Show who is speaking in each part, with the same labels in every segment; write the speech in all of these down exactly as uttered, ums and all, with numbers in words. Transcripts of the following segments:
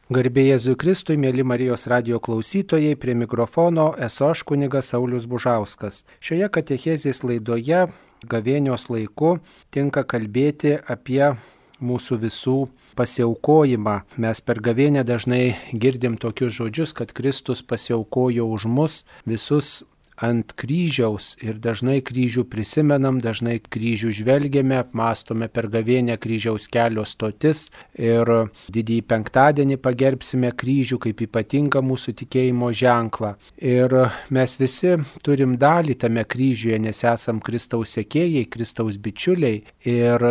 Speaker 1: Garbė Jėzui Kristui, mėly Marijos radijo klausytojai, prie mikrofono esu aš kunigas Saulius Bužauskas. Šioje katechezės laidoje gavėnios laiku tinka kalbėti apie mūsų visų pasiaukojimą. Mes per gavėnę dažnai girdim tokius žodžius, kad Kristus pasiaukojo už mus visus ant kryžiaus ir dažnai kryžių prisimenam, dažnai kryžių žvelgiame, apmastome per gavėnę kryžiaus kelio stotis ir didįjį penktadienį pagerbsime kryžių kaip ypatingą mūsų tikėjimo ženklą. Ir mes visi turim dalį tame kryžiuje, nes esam Kristaus sekėjai, Kristaus bičiuliai ir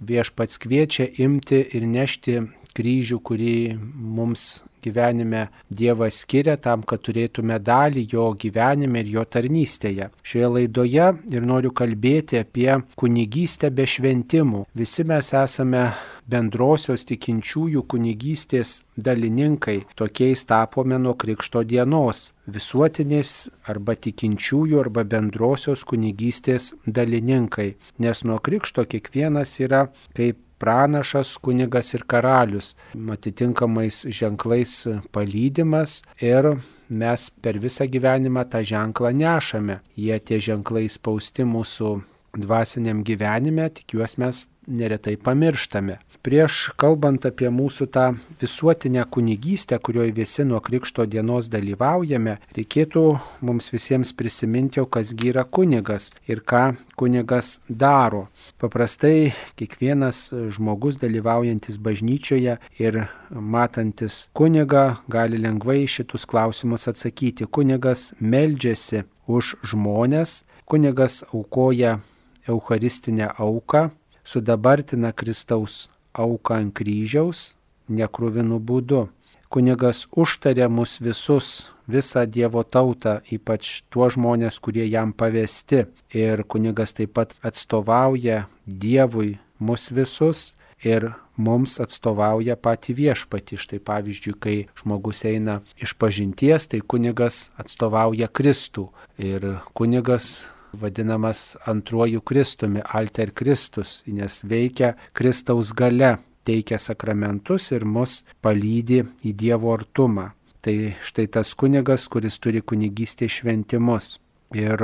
Speaker 1: Viešpats kviečia imti ir nešti kryžių, kurį mums gyvenime Dievas skiria tam, kad turėtume dalį jo gyvenime ir jo tarnystėje. Šioje laidoje ir noriu kalbėti apie kunigystę be šventimų. Visi mes esame bendrosios tikinčiųjų kunigystės dalininkai. Tokiais tapome nuo Krikšto dienos. Visuotinės arba tikinčiųjų arba bendrosios kunigystės dalininkai. Nes nuo Krikšto kiekvienas yra kaip pranašas, kunigas ir karalius, atitinkamais ženklais palydimas ir mes per visą gyvenimą tą ženklą nešame. Jie tie ženklai spausti mūsų dvasiniam gyvenime, tik juos mes neretai pamirštame. Prieš kalbant apie mūsų tą visuotinę kunigystę, kurioje visi nuo Krikšto dienos dalyvaujame, reikėtų mums visiems prisiminti, kasgi yra kunigas ir ką kunigas daro. Paprastai kiekvienas žmogus dalyvaujantis bažnyčioje ir matantis kunigą gali lengvai šitus klausimus atsakyti. Kunigas meldžiasi už žmones, kunigas aukoja eucharistinę auką, sudabartina Kristaus auką ant kryžiaus nekruvinų būdu. Kunigas užtaria mus visus, visą Dievo tautą, ypač tuos žmonės, kurie jam pavesti. Ir kunigas taip pat atstovauja Dievui mus visus ir mums atstovauja patį Viešpatį. Štai pavyzdžiui, kai žmogus eina iš pažinties, tai kunigas atstovauja Kristų. Ir kunigas vadinamas antruoju Kristumi, Alter Kristus, nes veikia Kristaus galia, teikia sakramentus ir mus palydi į Dievo artumą. Tai štai tas kunigas, kuris turi kunigystės šventimus. Ir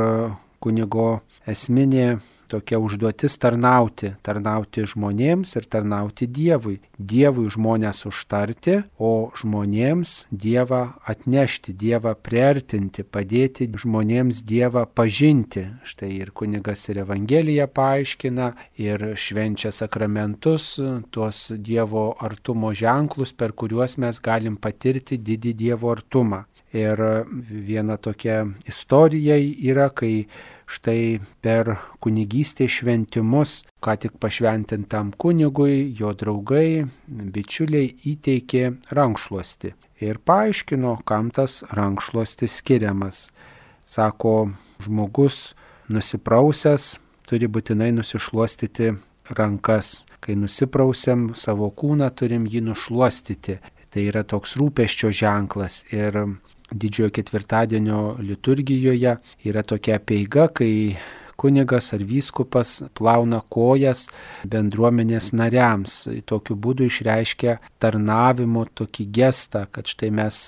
Speaker 1: kunigo esminė tokia užduotis tarnauti, tarnauti žmonėms ir tarnauti Dievui. Dievui žmonės užtarti, o žmonėms Dievą atnešti, Dievą priartinti, padėti žmonėms Dievą pažinti. Štai ir kunigas ir Evangeliją paaiškina, ir švenčia sakramentus, tuos Dievo artumo ženklus, per kuriuos mes galim patirti didį Dievo artumą. Ir viena tokia istorija yra, kai štai per kunigystės šventimus, ką tik pašventintam kunigui, jo draugai, bičiuliai įteikė rankšluostį ir paaiškino, kam tas rankšluostis skiriamas. Sako, žmogus nusiprausęs turi būtinai nusišluostyti rankas. Kai nusiprausiam savo kūną, turim jį nušluostyti. Tai yra toks rūpesčio ženklas. Ir Didžiojo ketvirtadienio liturgijoje yra tokia apeiga, kai kunigas ar vyskupas plauna kojas bendruomenės nariams. Tokiu būdu išreiškia tarnavimo tokį gestą, kad štai mes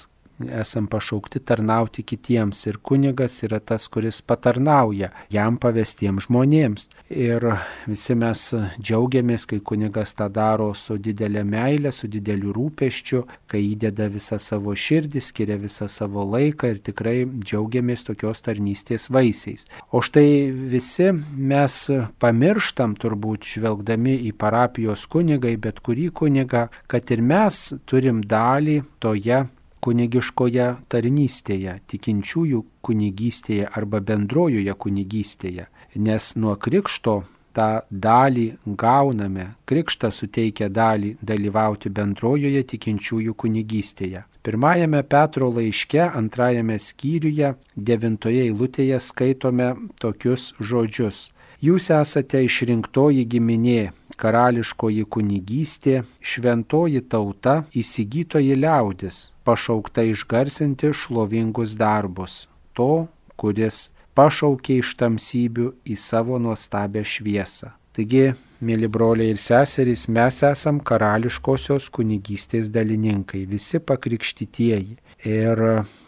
Speaker 1: esam pašaukti tarnauti kitiems ir kunigas yra tas, kuris patarnauja jam pavestiems žmonėms. Ir visi mes džiaugiamės, kai kunigas tą daro su didelė meilė, su dideliu rūpesčiu, kai įdeda visą savo širdį, skiria visą savo laiką ir tikrai džiaugiamės tokios tarnystės vaisiais. O štai visi mes pamirštam turbūt žvelgdami į parapijos kunigai, bet kurį kunigą, kad ir mes turim dalį toje kunigiškoje tarnystėje, tikinčiųjų kunigystėje arba bendrojoje kunigystėje, nes nuo Krikšto tą dalį gauname. Krikštas suteikia dalį dalyvauti bendrojoje tikinčiųjų kunigystėje. Pirmajame Petro laiške, antrajame skyriuje, devintoje eilutėje skaitome tokius žodžius. Jūs esate išrinktoji giminė, karališkoji kunigystė, šventoji tauta, įsigytoji liaudis, pašaukta išgarsinti šlovingus darbus, to, kuris pašaukė iš tamsybių į savo nuostabią šviesą. Taigi, mėly broliai ir seserys, mes esam karališkosios kunigystės dalininkai, visi pakrikštytieji. Ir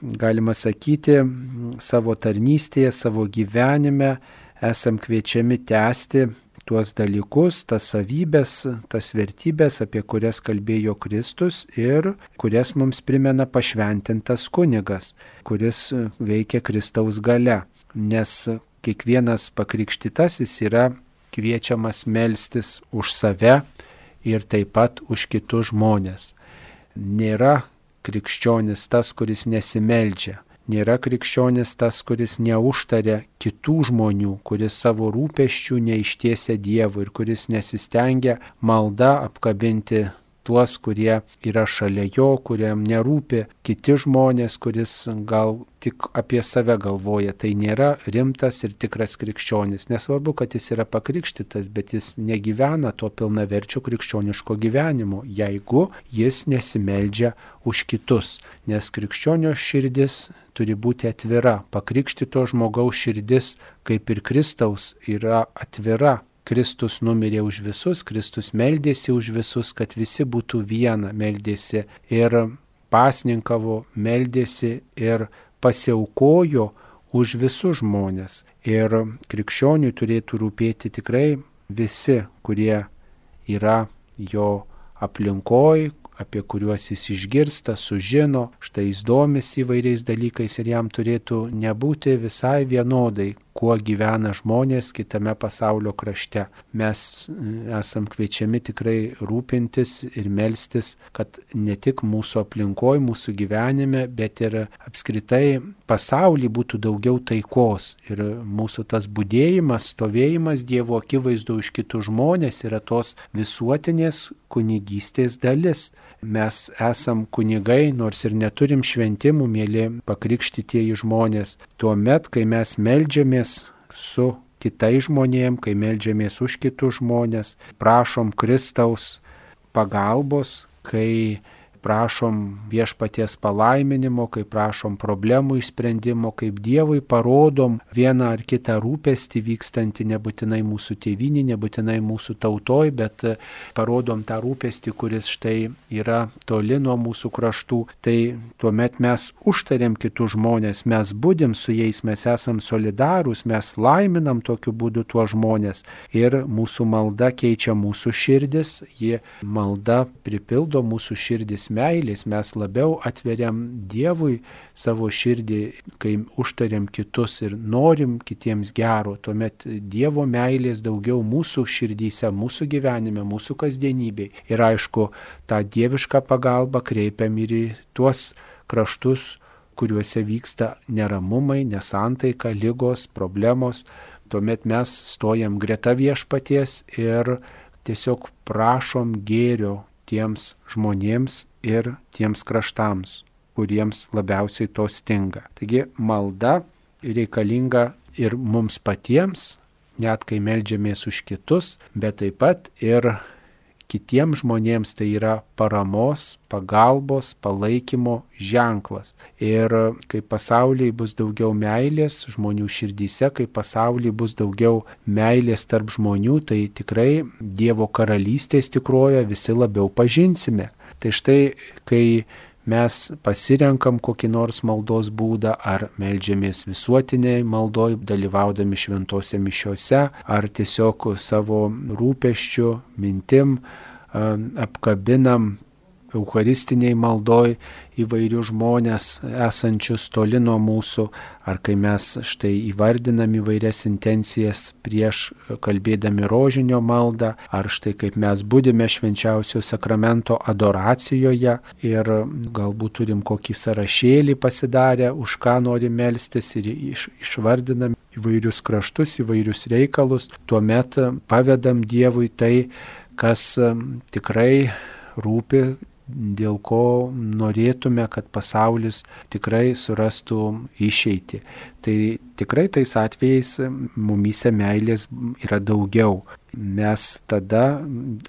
Speaker 1: galima sakyti, savo tarnystėje, savo gyvenime esam kviečiami tęsti tuos dalykus, tas savybės, tas vertybės, apie kurias kalbėjo Kristus ir kurias mums primena pašventintas kunigas, kuris veikia Kristaus galia. Nes kiekvienas pakrikštytasis yra kviečiamas melstis už save ir taip pat už kitus žmonės. Nėra krikščionis tas, kuris nesimeldžia. Nėra krikščionis tas, kuris neužtaria kitų žmonių, kuris savo rūpesčių neištiesia Dievui ir kuris nesistengia malda apkabinti tuos, kurie yra šalia jo, kuriam nerūpi kiti žmonės, kuris gal tik apie save galvoja. Tai nėra rimtas ir tikras krikščionis. Nesvarbu, kad jis yra pakrikštytas, bet jis negyvena to pilnaverčio krikščioniško gyvenimo, jeigu jis nesimeldžia už kitus. Nes krikščionio širdis turi būti atvira. Pakrikštyto žmogaus širdis, kaip ir Kristaus, yra atvira. Kristus numirė už visus, Kristus meldėsi už visus, kad visi būtų viena, meldėsi ir pasninkavo, meldėsi ir pasiaukojo už visus žmonės. Ir krikščioniui turėtų rūpėti tikrai visi, kurie yra jo aplinkoj, apie kuriuos jis išgirsta, sužino, štai jis domisi įvairiais dalykais ir jam turėtų nebūti visai vienodai, kuo gyvena žmonės kitame pasaulio krašte. Mes esam kviečiami tikrai rūpintis ir melstis, kad ne tik mūsų aplinkoje, mūsų gyvenime, bet ir apskritai pasaulyje būtų daugiau taikos. Ir mūsų tas budėjimas, stovėjimas Dievo akivaizdu už kitus žmonės yra tos visuotinės kunigystės dalis. Mes esam kunigai, nors ir neturim šventimų, mėly pakrikštytieji žmonės. Tuomet, kai mes meldžiamės su kitais žmonėm, kai meldžiamės už kitus žmonės, prašom Kristaus pagalbos, kai prašom viešpaties palaiminimo, kai prašom problemų išsprendimo, kaip Dievui parodom vieną ar kitą rūpestį vykstantį nebūtinai mūsų tėvynį, nebūtinai mūsų tautoj, bet parodom tą rūpestį, kuris štai yra toli nuo mūsų kraštų. Tai tuomet mes užtariam kitus žmonės, mes budim su jais, mes esam solidarūs, mes laiminam tokiu būdu tuos žmonės ir mūsų malda keičia mūsų širdis, ji malda pripildo mūsų širdis meilės, mes labiau atveriam Dievui savo širdį, kai užtariam kitus ir norim kitiems gero, tuomet Dievo meilės daugiau mūsų širdyse, mūsų gyvenime, mūsų kasdienybėje. Ir aišku, tą dievišką pagalbą kreipiam ir į tuos kraštus, kuriuose vyksta neramumai, nesantaika, ligos, problemos. Tuomet mes stojam greta viešpaties ir tiesiog prašom gėrio tiems žmonėms ir tiems kraštams, kuriems labiausiai to stinga. Taigi malda reikalinga ir mums patiems, net kai meldžiamės už kitus, bet taip pat ir kitiems žmonėms tai yra paramos, pagalbos, palaikymo ženklas. Ir kai pasaulyje bus daugiau meilės žmonių širdyse, kai pasaulyje bus daugiau meilės tarp žmonių, tai tikrai Dievo karalystės tikroje visi labiau pažinsime. Tai štai, kai mes pasirenkam kokį nors maldos būdą, ar meldžiamės visuotiniai maldoj, dalyvaudami šventose mišiose, ar tiesiog savo rūpesčiu, mintim apkabinam eucharistiniai maldoj įvairių žmonės esančius toli nuo mūsų, ar kai mes štai įvardinam įvairias intencijas prieš kalbėdami rožinio maldą, ar štai kaip mes budime švenčiausio sakramento adoracijoje ir galbūt turim kokį sąrašėlį pasidarę, už ką norim melstis ir iš, išvardinam įvairius kraštus, įvairius reikalus, tuomet pavedam Dievui tai, kas tikrai rūpi, dėl ko norėtume, kad pasaulis tikrai surastų išeitį. Tai tikrai tais atvejais mumyse meilės yra daugiau. Mes tada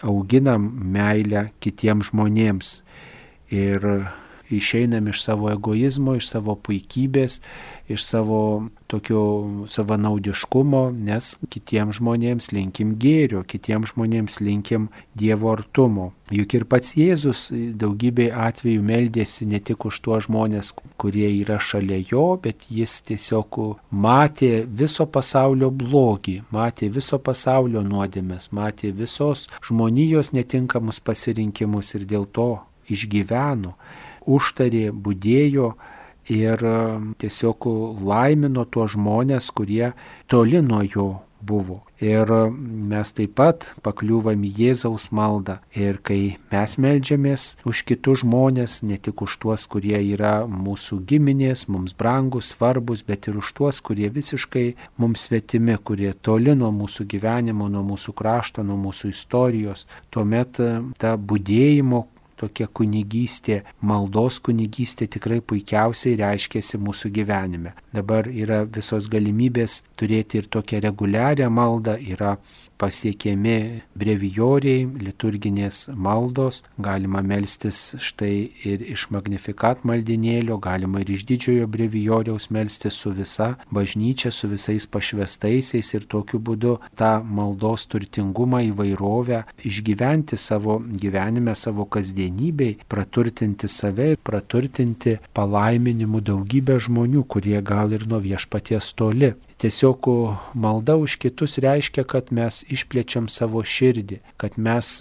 Speaker 1: auginam meilę kitiems žmonėms. Ir išeinam iš savo egoizmo, iš savo puikybės, iš savo tokio savanaudiškumo, nes kitiems žmonėms linkim gėrio, kitiems žmonėms linkim Dievo artumo. Juk ir pats Jėzus daugybė atvejų meldėsi ne tik už tuos žmonės, kurie yra šalia jo, bet jis tiesiog matė viso pasaulio blogį, matė viso pasaulio nuodėmes, matė visos žmonijos netinkamus pasirinkimus ir dėl to išgyveno, užtarė, budėjo ir tiesiog laimino tuos žmonės, kurie toli nuo jo buvo. Ir mes taip pat pakliūvam į Jėzaus maldą. Ir kai mes meldžiamės už kitus žmonės, ne tik už tuos, kurie yra mūsų giminės, mums brangus, svarbus, bet ir už tuos, kurie visiškai mums svetimi, kurie toli nuo mūsų gyvenimo, nuo mūsų krašto, nuo mūsų istorijos, tuomet ta budėjimo tokia kunigystė, maldos kunigystė tikrai puikiausiai reiškėsi mūsų gyvenime. Dabar yra visos galimybės turėti ir tokią reguliarią maldą, yra pasiekiami brevijoriai, liturginės maldos, galima melstis štai ir iš Magnificat maldinėlio, galima ir iš didžiojo brevijoriaus melstis su visa bažnyčia, su visais pašvestaisiais ir tokiu būdu tą maldos turtingumą, įvairovę išgyventi savo gyvenime, savo kasdienybei, praturtinti save ir praturtinti palaiminimu daugybę žmonių, kurie gal ir nuo viešpaties toli. Tiesiog malda už kitus reiškia, kad mes išplečiam savo širdį, kad mes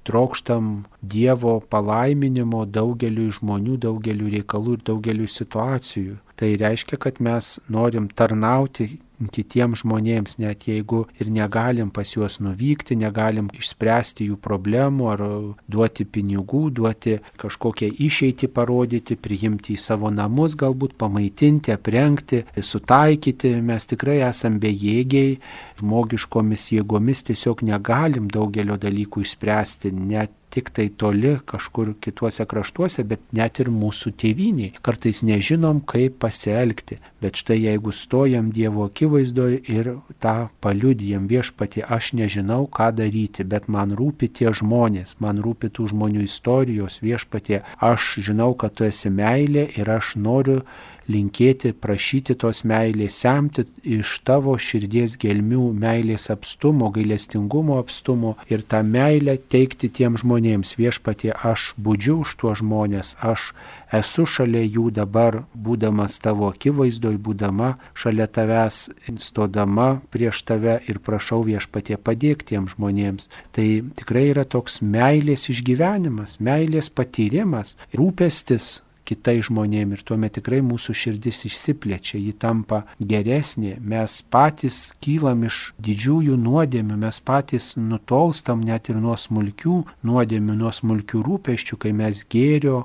Speaker 1: trokštam Dievo palaiminimo daugeliu žmonių, daugeliu reikalų ir daugeliu situacijų. Tai reiškia, kad mes norim tarnauti kitiems žmonėms, net jeigu ir negalim pas juos nuvykti, negalim išspręsti jų problemų ar duoti pinigų, duoti kažkokią išeitį parodyti, priimti į savo namus, galbūt pamaitinti, aprengti, sutaikyti. Mes tikrai esam bejėgiai, žmogiškomis jėgomis tiesiog negalim daugelio dalykų išspręsti, net tik tai toli kažkur kituose kraštuose, bet net ir mūsų tėvynėje. Kartais nežinom, kaip pasielgti, bet štai jeigu stojam Dievo akivaizdoje ir tą paliudijam: Viešpatie, aš nežinau, ką daryti, bet man rūpi tie žmonės, man rūpi tų žmonių istorijos, Viešpatie, aš žinau, kad tu esi meilė ir aš noriu linkėti, prašyti tos meilės, semti iš tavo širdies gelmių meilės apstumo, gailestingumo apstumo ir tą meilę teikti tiem žmonėms. Viešpatie, aš budžiu už tuos žmonės, aš esu šalia jų dabar, būdamas tavo akivaizdoj, būdama šalia tavęs, stodama prieš tave ir prašau, Viešpatie, padėk tiem žmonėms. Tai tikrai yra toks meilės išgyvenimas, meilės patyrimas, rūpestis kitai žmonėm ir tuomet tikrai mūsų širdis išsiplečia, ji tampa geresnė, mes patys kylam iš didžiųjų nuodėmių, mes patys nutolstam net ir nuo smulkių nuodėmių, nuo smulkių rūpesčių, kai mes gėrio,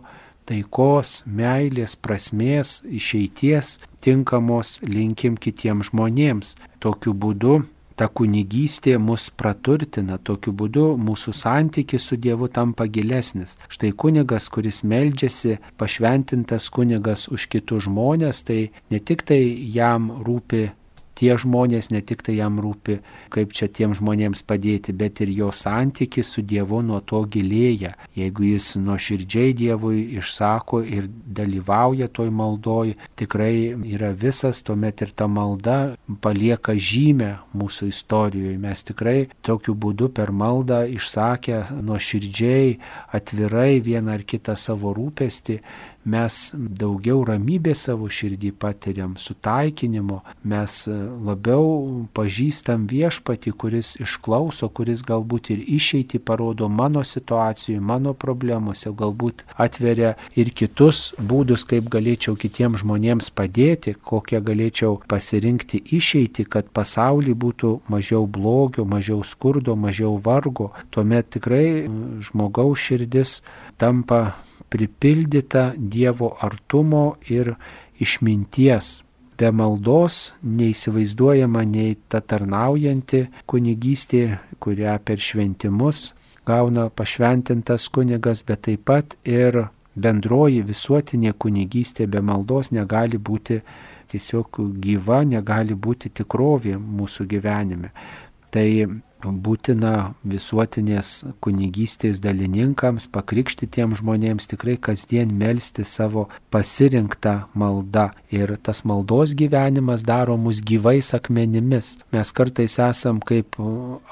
Speaker 1: taikos, meilės, prasmės, išeities tinkamos linkim kitiems žmonėms. Tokiu būdu ta kunigystė mus praturtina, tokiu būdu mūsų santykis su Dievu tampa gilesnis. Štai kunigas, kuris meldžiasi, pašventintas kunigas už kitus žmonės, tai ne tik tai jam rūpi tie žmonės, ne tik tai jam rūpi, kaip čia tiem žmonėms padėti, bet ir jo santykis su Dievu nuo to gilėja. Jeigu jis nuoširdžiai Dievui išsako ir dalyvauja toj maldoj, tikrai yra visas, tuomet ir ta malda palieka žymę mūsų istorijoje. Mes tikrai tokiu būdu per maldą išsakę nuoširdžiai, atvirai vieną ar kitą savo rūpestį, mes daugiau ramybės savo širdį patiriam, sutaikinimo, mes labiau pažįstam Viešpatį, kuris išklauso, kuris galbūt ir išeitį parodo mano situacijų, mano problemose, galbūt atveria ir kitus būdus, kaip galėčiau kitiems žmonėms padėti, kokią galėčiau pasirinkti išeitį, kad pasaulyje būtų mažiau blogio, mažiau skurdo, mažiau vargo. Tuomet tikrai žmogaus širdis tampa pripildyta Dievo artumo ir išminties. Be maldos neįsivaizduojama nei ta tarnaujanti kunigystė, kurią per šventimus gauna pašventintas kunigas, bet taip pat ir bendroji visuotinė kunigystė be maldos negali būti tiesiog gyva, negali būti tikrovė mūsų gyvenime. Tai būtina visuotinės kunigystės dalininkams, pakrikštytiems žmonėms tikrai kasdien melsti savo pasirinktą maldą. Ir tas maldos gyvenimas daro mus gyvais akmenimis. Mes kartais esam kaip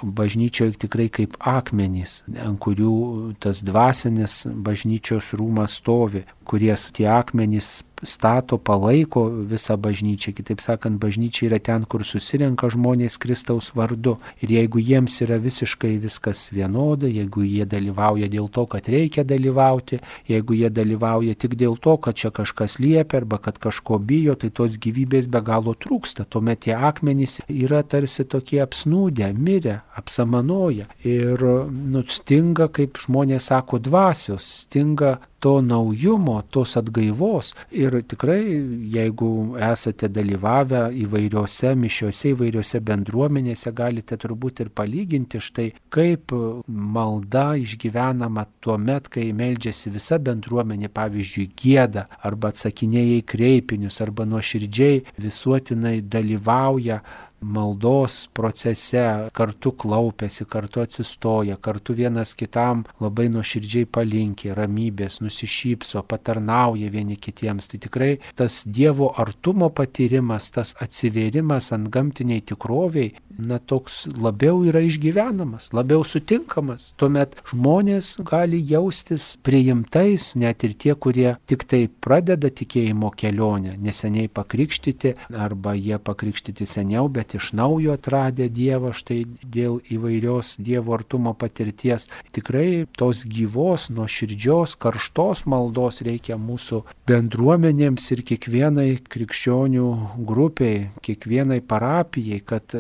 Speaker 1: bažnyčioje tikrai kaip akmenys, ant kurių tas dvasinis bažnyčios rūmas stovi, kurie tie akmenys stato, palaiko visą bažnyčią. Kitaip sakant, bažnyčia yra ten, kur susirenka žmonės Kristaus vardu. Ir jeigu jiems yra visiškai viskas vienoda, jeigu jie dalyvauja dėl to, kad reikia dalyvauti, jeigu jie dalyvauja tik dėl to, kad čia kažkas liepia arba kad kažko bijo, tai tos gyvybės be galo trūksta. Tuomet tie akmenys yra tarsi tokie apsnūdę, mirę, apsamanoję. Ir nu, stinga, kaip žmonės sako, dvasios, stinga to naujumo, tos atgaivos. Ir tikrai, jeigu esate dalyvavę įvairiose mišiose, įvairiose bendruomenėse, galite turbūt ir palyginti štai, kaip malda išgyvenama tuo met, kai meldžiasi visa bendruomenė, pavyzdžiui, gieda, arba atsakinėja į kreipinius, arba nuoširdžiai visuotinai dalyvauja maldos procese, kartu klaupiasi, kartu atsistoja, kartu vienas kitam labai nuoširdžiai palinki, ramybės, nusišypso, patarnauja vieni kitiems. Tai tikrai tas Dievo artumo patyrimas, tas atsivėrimas ant gamtiniai tikroviai, na toks labiau yra išgyvenamas, labiau sutinkamas. Tuomet žmonės gali jaustis priimtais, net ir tie, kurie tik tai pradeda tikėjimo kelionę, neseniai pakrikštyti, arba jie pakrikštyti seniau, bet iš naujo atradę Dievą štai dėl įvairios Dievo artumo patirties. Tikrai tos gyvos, nuoširdžios, karštos maldos reikia mūsų bendruomenėms ir kiekvienai krikščionių grupiai, kiekvienai parapijai, kad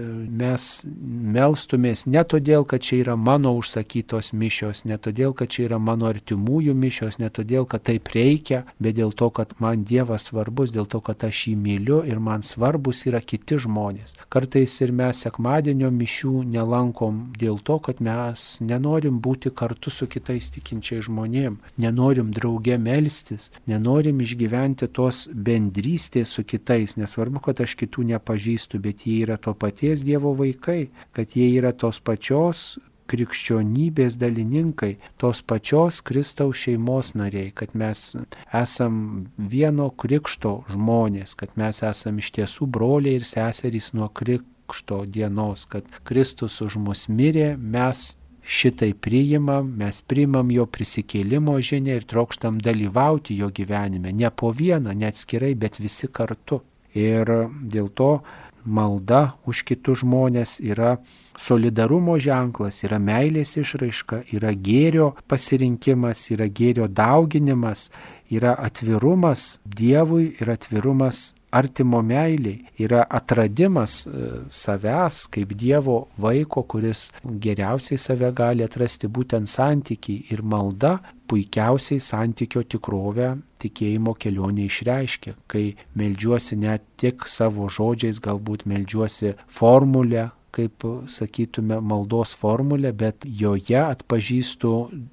Speaker 1: mes melstumės ne todėl, kad čia yra mano užsakytos mišios, ne todėl, kad čia yra mano artimųjų mišios, ne todėl, kad taip reikia, bet dėl to, kad man Dievas svarbus, dėl to, kad aš jį myliu ir man svarbus yra kiti žmonės. Kartais ir mes sekmadienio mišių nelankom dėl to, kad mes nenorim būti kartu su kitais tikinčiais žmonėm, nenorim drauge melstis, nenorim išgyventi tos bendrystės su kitais. Nesvarbu, kad aš kitų nepažįstu, bet jie yra to paties Dievo vaikai, kad jie yra tos pačios krikščionybės dalininkai, tos pačios Kristaus šeimos nariai, kad mes esam vieno krikšto žmonės, kad mes esam iš tiesų broliai ir seserys nuo krikšto dienos, kad Kristus už mus mirė, mes šitai priimam, mes priimam jo prisikėlimo žinią ir trokštam dalyvauti jo gyvenime, ne po vieną, ne atskirai, bet visi kartu. Ir dėl to malda už kitus žmonės yra solidarumo ženklas, yra meilės išraiška, yra gėrio pasirinkimas, yra gėrio dauginimas, yra atvirumas Dievui ir atvirumas artimo meiliai, yra atradimas savęs kaip Dievo vaiko, kuris geriausiai save gali atrasti būtent santykiai, ir malda puikiausiai santykio tikrovę tikėjimo kelionė išreiškia, kai meldžiuosi ne tik savo žodžiais, galbūt meldžiuosi formulę, kaip sakytume, maldos formulę, bet joje atpažįstu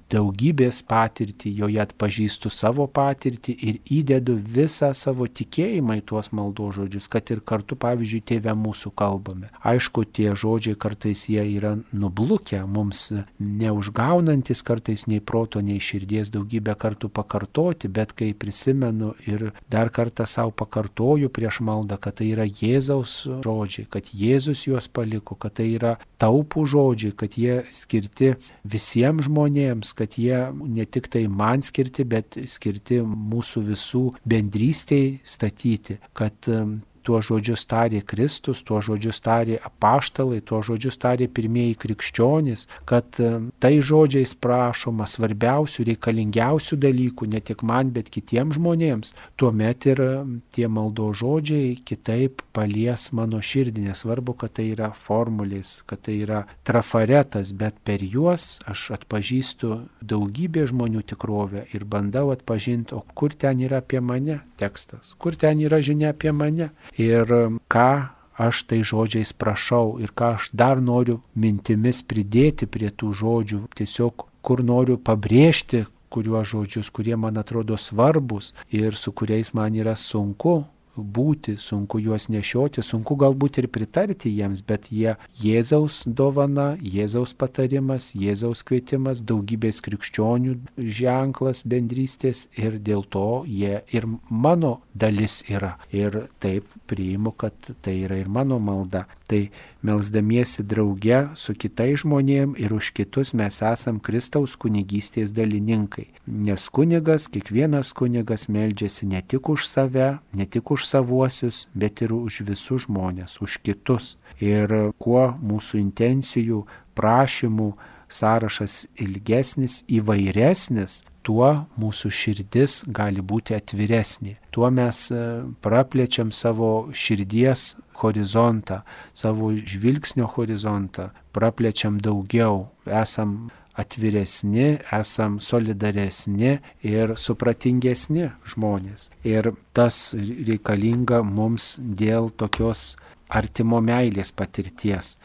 Speaker 1: daugybės patirtį, joje atpažįstu savo patirtį ir įdedu visą savo tikėjimą į tuos maldos žodžius, kad ir kartu, pavyzdžiui, Tėve mūsų kalbame. Aišku, tie žodžiai kartais jie yra nublukę, mums neužgaunantis kartais nei proto, nei širdies daugybę kartų pakartoti, bet kai prisimenu ir dar kartą savo pakartoju prieš maldą, kad tai yra Jėzaus žodžiai, kad Jėzus juos paliko, kad tai yra taupų žodžiai, kad jie skirti visiems žmonėms, kad jie ne tik tai man skirti, bet skirti mūsų visų bendrystėj statyti, kad tuos žodžius tarė Kristus, tuos žodžius tarė apaštalai, tuos žodžius tarė pirmieji krikščionys, kad tai žodžiais prašoma svarbiausių, reikalingiausių dalykų, ne tik man, bet kitiems žmonėms. Tuomet ir tie maldos žodžiai kitaip palies mano širdį, nesvarbu, kad tai yra formulės, kad tai yra trafaretas, bet per juos aš atpažįstu daugybę žmonių tikrovę ir bandau atpažinti, o kur ten yra apie mane tekstas, kur ten yra žinia apie mane. Ir ką aš tai žodžiais prašau ir ką aš dar noriu mintimis pridėti prie tų žodžių, tiesiog kur noriu pabrėžti kuriuos žodžius, kurie man atrodo svarbus ir su kuriais man yra sunku būti, sunku juos nešioti, sunku galbūt ir pritarti jiems, bet jie Jėzaus dovana, Jėzaus patarimas, Jėzaus kvietimas, daugybės krikščionių ženklas bendrystės ir dėl to jie ir mano dalis yra. Ir taip priimu, kad tai yra ir mano malda. Tai melsdamiesi drauge su kitais žmonėm ir už kitus mes esam Kristaus kunigystės dalininkai. Nes kunigas, kiekvienas kunigas meldžiasi ne tik už save, ne tik už savuosius, bet ir už visus žmonės, už kitus. Ir kuo mūsų intencijų, prašymų sąrašas ilgesnis, įvairesnis, tuo mūsų širdis gali būti atviresnė. Tuo mes praplečiam savo širdies horizontą, savo žvilgsnio horizontą, praplečiam daugiau, esam atviresni, esam solidaresni ir supratingesni žmonės. Ir tas reikalinga mums dėl tokios artimo meilės patirties.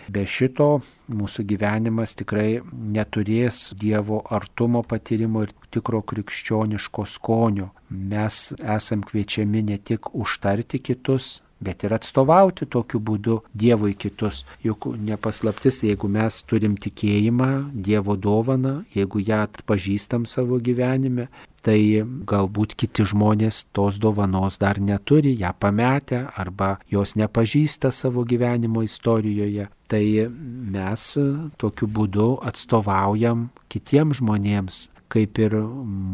Speaker 1: Be šito mūsų gyvenimas tikrai neturės Dievo artumo patyrimo ir tikro krikščioniško skonio. Mes esam kviečiami ne tik užtarti kitus, bet ir atstovauti tokiu būdu Dievui kitus. Juk nepaslaptis, jeigu mes turim tikėjimą, Dievo dovaną, jeigu ją atpažįstam savo gyvenime, tai galbūt kiti žmonės tos dovanos dar neturi, ją pametę arba jos nepažįsta savo gyvenimo istorijoje. Tai mes tokiu būdu atstovaujam kitiems žmonėms. Kaip ir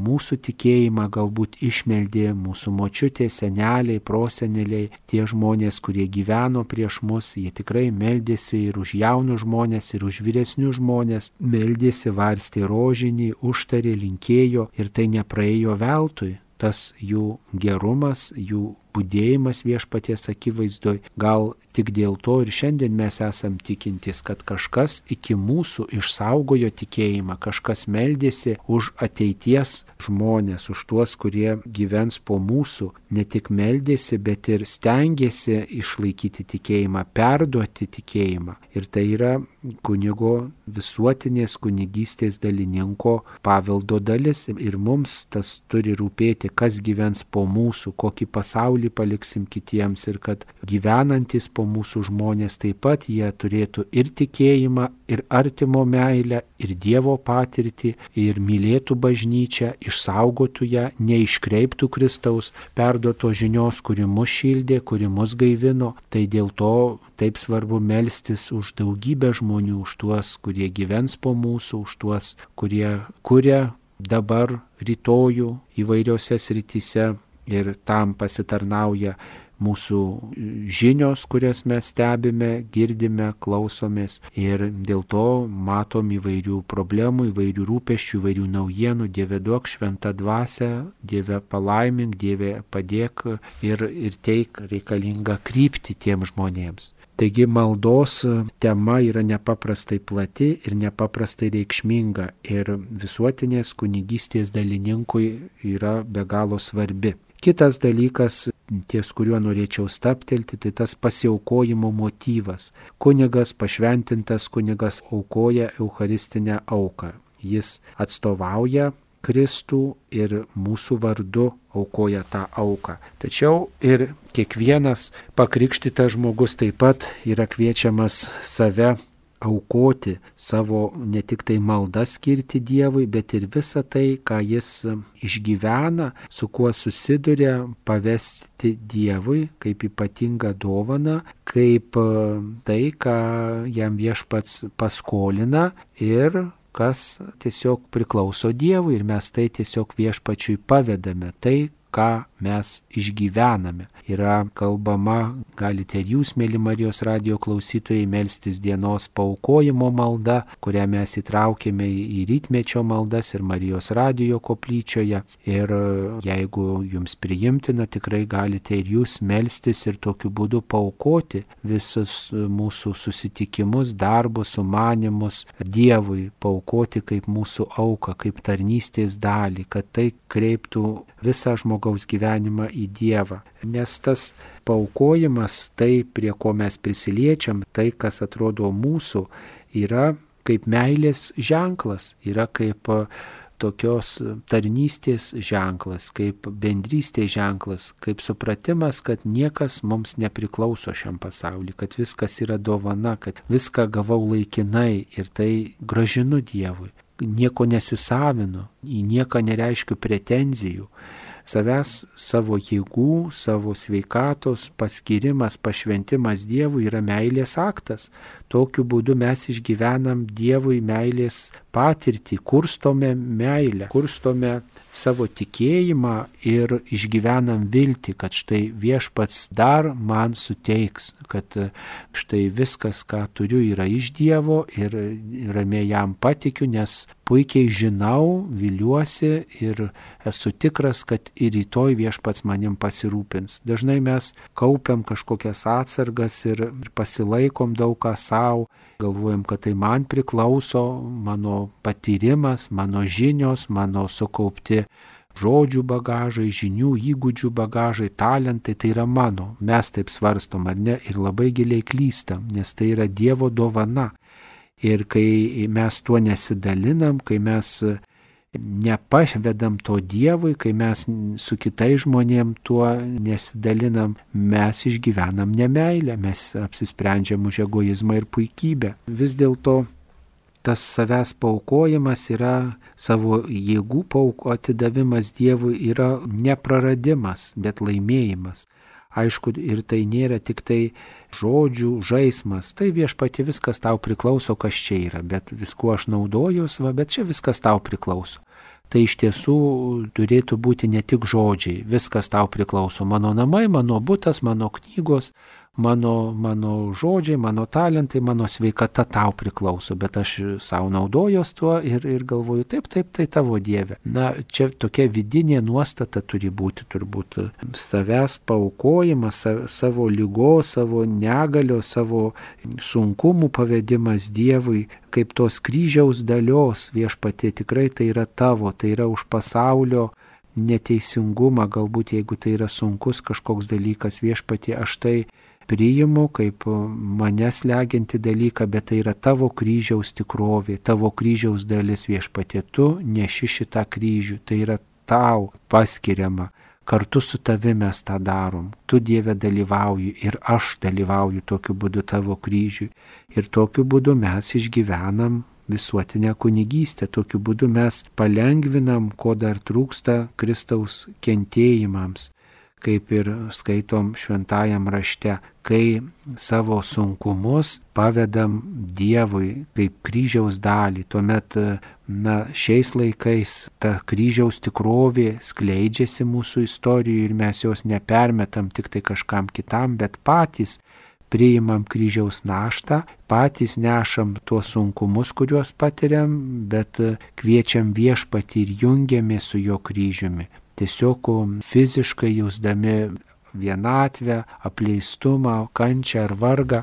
Speaker 1: mūsų tikėjimą galbūt išmeldė mūsų močiutė, seneliai, proseneliai, tie žmonės, kurie gyveno prieš mus, jie tikrai meldėsi ir už jaunus žmonės, ir už vyresnius žmonės, meldėsi, varstė rožinį, užtarė, linkėjo ir tai nepraėjo veltui. Tas jų gerumas, jų budėjimas viešpaties akivaizdoj, gal tik dėl to ir šiandien mes esam tikintys, kad kažkas iki mūsų išsaugojo tikėjimą, kažkas meldėsi už ateities žmonės, už tuos, kurie gyvens po mūsų, ne tik meldėsi, bet ir stengiasi išlaikyti tikėjimą, perduoti tikėjimą. Ir tai yra kunigo visuotinės kunigystės dalininko paveldo dalis. Ir mums tas turi rūpėti, kas gyvens po mūsų, kokį pasaulį paliksim kitiems ir kad gyvenantis po mūsų žmonės taip pat jie turėtų ir tikėjimą, ir artimo meilę, ir Dievo patirtį, ir mylėtų bažnyčią, išsaugotų ją, neiškreiptų Kristaus perduoto žinios, kuri mus šildė, kuri mus gaivino. Tai dėl to taip svarbu melstis už daugybę žmonių, už tuos, kurie gyvens po mūsų, už tuos, kurie kuria dabar rytojų įvairiose srityse. Ir tam pasitarnauja mūsų žinios, kurias mes stebime, girdime, klausomės. Ir dėl to matom įvairių problemų, įvairių rūpesčių, įvairių naujienų. Dieve duok šventą dvasią, Dieve palaimink, Dieve padėk ir, ir teik reikalingą kryptį tiem žmonėms. Taigi maldos tema yra nepaprastai plati ir nepaprastai reikšminga ir visuotinės kunigystės dalininkui yra be galo svarbi. Kitas dalykas, ties kuriuo norėčiau staptelti, tai tas pasiaukojimo motyvas. Kunigas, pašventintas kunigas aukoja eucharistinę auką. Jis atstovauja Kristų ir mūsų vardu aukoja tą auką. Tačiau ir kiekvienas pakrikštytas žmogus taip pat yra kviečiamas save aukoti, savo ne tik tai maldą skirti Dievui, bet ir visą tai, ką jis išgyvena, su kuo susiduria, pavesti Dievui kaip ypatingą dovaną, kaip tai, ką jam viešpats paskolina ir kas tiesiog priklauso Dievui ir mes tai tiesiog viešpačiui pavedame. Tai, ką mes išgyvename. Yra kalbama, galite ir jūs, mėly Marijos radijo klausytojai, melstis dienos paaukojimo malda, kurią mes įtraukėme į rytmečio maldas ir Marijos radijo koplyčioje. Ir jeigu jums priimtina, tikrai galite ir jūs melstis ir tokiu būdu paaukoti visus mūsų susitikimus, darbus, sumanimus Dievui, paaukoti kaip mūsų auką, kaip tarnystės dalį, kad tai kreiptų visą žmogaus gyvenimą į Dievą. Nes tas paaukojimas, tai prie ko mes prisiliečiam, tai kas atrodo mūsų, yra kaip meilės ženklas, yra kaip tokios tarnystės ženklas, kaip bendrystės ženklas, kaip supratimas, kad niekas mums nepriklauso šiam pasauliu, kad viskas yra dovana, kad viską gavau laikinai ir tai gražinu Dievui. Nieko nesisavinu, į nieką nereiškiu pretenzijų. Savęs, savo jėgų, savo sveikatos paskirimas, pašventimas Dievui yra meilės aktas. Tokiu būdu mes išgyvenam Dievui meilės patirtį, kurstome meilę, kurstome savo tikėjimą ir išgyvenam viltį, kad štai viešpats dar man suteiks, kad štai viskas, ką turiu, yra iš Dievo ir ramiai jam patikiu, nes puikiai žinau, viliuosi ir esu tikras, kad ir rytoj viešpats manim pasirūpins. Dažnai mes kaupiam kažkokias atsargas ir pasilaikom daug ką savo, galvojam, kad tai man priklauso, mano patyrimas, mano žinios, mano sukaupti žodžių bagažai, žinių, įgūdžių bagažai, talentai, tai yra mano. Mes taip svarstom, ar ne, ir labai giliai klystam, nes tai yra Dievo dovana. Ir kai mes tuo nesidalinam, kai mes nepavedam to Dievui, kai mes su kitais žmonėm tuo nesidalinam, mes išgyvenam nemeilę, mes apsisprendžiam už egoizmą ir puikybę. Vis dėlto tas savęs paaukojimas yra, savo jėgų pauko atidavimas Dievui yra nepraradimas, bet laimėjimas. Aišku, ir tai nėra tik tai žodžių žaismas, tai viešpatie viskas tau priklauso, kas čia yra, bet viskuo aš naudojus, va, bet čia viskas tau priklauso. Tai iš tiesų turėtų būti ne tik žodžiai, viskas tau priklauso, mano namai, mano butas, mano knygos, mano, mano žodžiai, mano talentai, mano sveikata tau priklauso, bet aš savo naudojos tuo ir, ir galvoju, taip, taip, tai tavo Dieve. Na, čia tokia vidinė nuostata turi būti, turbūt savęs paaukojimas, savo lygos, savo negalio, savo sunkumų pavedimas Dievui, kaip tos kryžiaus dalios viešpatie, tikrai tai yra tavo, tai yra už pasaulio neteisingumą, galbūt jeigu tai yra sunkus kažkoks dalykas, viešpatie, aš tai priimu kaip mane slegianti dalyką, bet tai yra tavo kryžiaus tikrovė, tavo kryžiaus dalis, viešpatie, tu neši šitą kryžių, tai yra tau paskiriama, kartu su tavimi mes tą darom, tu Dieve dalyvauji ir aš dalyvauju tokiu būdu tavo kryžiui ir tokiu būdu mes išgyvenam visuotinę kunigystę, tokiu būdu mes palengvinam, ko dar trūksta Kristaus kentėjimams. Kaip ir skaitom šventajam rašte, kai savo sunkumus pavedam Dievui kaip kryžiaus dalį, tuomet, na, šiais laikais ta kryžiaus tikrovė skleidžiasi mūsų istorijoje ir mes jos nepermetam tik tai kažkam kitam, bet patys priimam kryžiaus naštą, patys nešam tuos sunkumus, kuriuos patiriam, bet kviečiam viešpatį ir jungiamės su jo kryžiumi. Tiesiog fiziškai jausdami vienatvę, apleistumą, kančią ar vargą,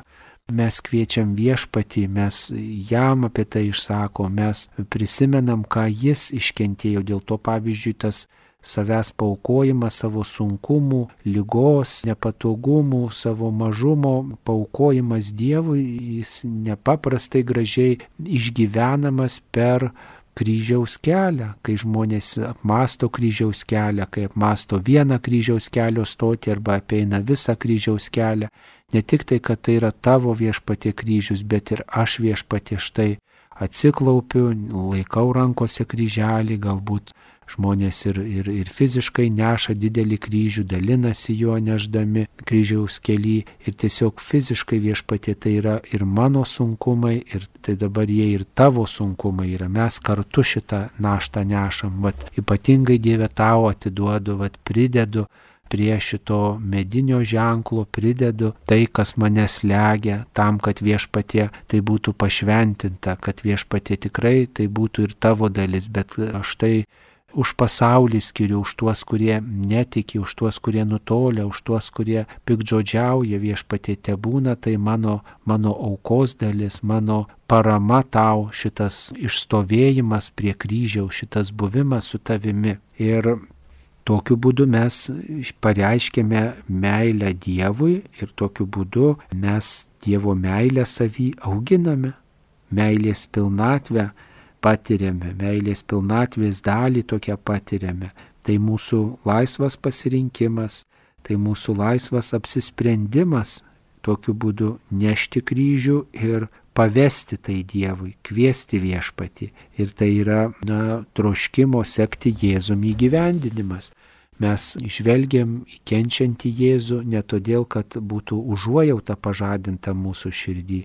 Speaker 1: mes kviečiam viešpatį, mes jam apie tai išsakom, mes prisimenam, ką jis iškentėjo, dėl to pavyzdžiui tas savęs paaukojimas, savo sunkumų, ligos, nepatogumų, savo mažumo paaukojimas Dievui, jis nepaprastai gražiai išgyvenamas per kryžiaus kelią, kai žmonės apmąsto kryžiaus kelią, kai apmąsto vieną kryžiaus kelio stotį arba apeina visą kryžiaus kelią. Ne tik tai, kad tai yra tavo viešpatie kryžius, bet ir aš viešpatie štai atsiklaupiu, laikau rankose kryželį, galbūt žmonės ir, ir, ir fiziškai neša didelį kryžių, dalinasi juo neždami kryžiaus kely ir tiesiog fiziškai viešpatie tai yra ir mano sunkumai ir tai dabar jie ir tavo sunkumai yra. Mes kartu šitą naštą nešam, vat ypatingai Dieve tau atiduodu, vat pridedu prie šito medinio ženklo, pridedu tai, kas mane slegia, tam, kad viešpatie tai būtų pašventinta, kad viešpatie tikrai tai būtų ir tavo dalis, bet aš tai už pasaulį skiriu, už tuos, kurie netiki, už tuos, kurie nutolia, už tuos, kurie piktžodžiauja, viešpatie tebūna, tai mano, mano aukos dalis, mano parama tau, šitas išstovėjimas prie kryžiaus, šitas buvimas su tavimi. Ir tokiu būdu mes pareiškėme meilę Dievui ir tokiu būdu mes Dievo meilę savy auginame, meilės pilnatvę patiriame, meilės pilnatvės dalį tokią patiriame. Tai mūsų laisvas pasirinkimas, tai mūsų laisvas apsisprendimas tokiu būdu nešti kryžių ir pavesti tai Dievui, kviesti viešpatį. Ir tai yra, na, troškimo sekti Jėzumi įgyvendinimas. Mes žvelgiam į kenčiantį Jėzų ne todėl, kad būtų užuojauta pažadinta mūsų širdį.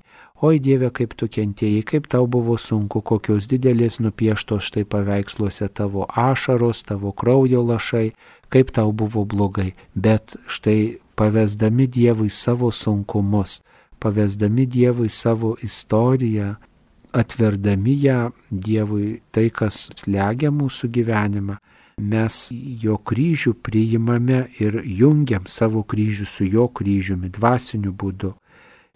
Speaker 1: Oi Dieve, kaip tu kentėjai, kaip tau buvo sunku, kokios didelės nupieštos štai paveiksluose tavo ašaros, tavo kraujo lašai, kaip tau buvo blogai. Bet štai pavesdami Dievui savo sunkumus, pavesdami Dievui savo istoriją, atverdami ją Dievui tai, kas slegia mūsų gyvenimą, mes jo kryžių priimame ir jungiam savo kryžių su jo kryžiumi dvasiniu būdu.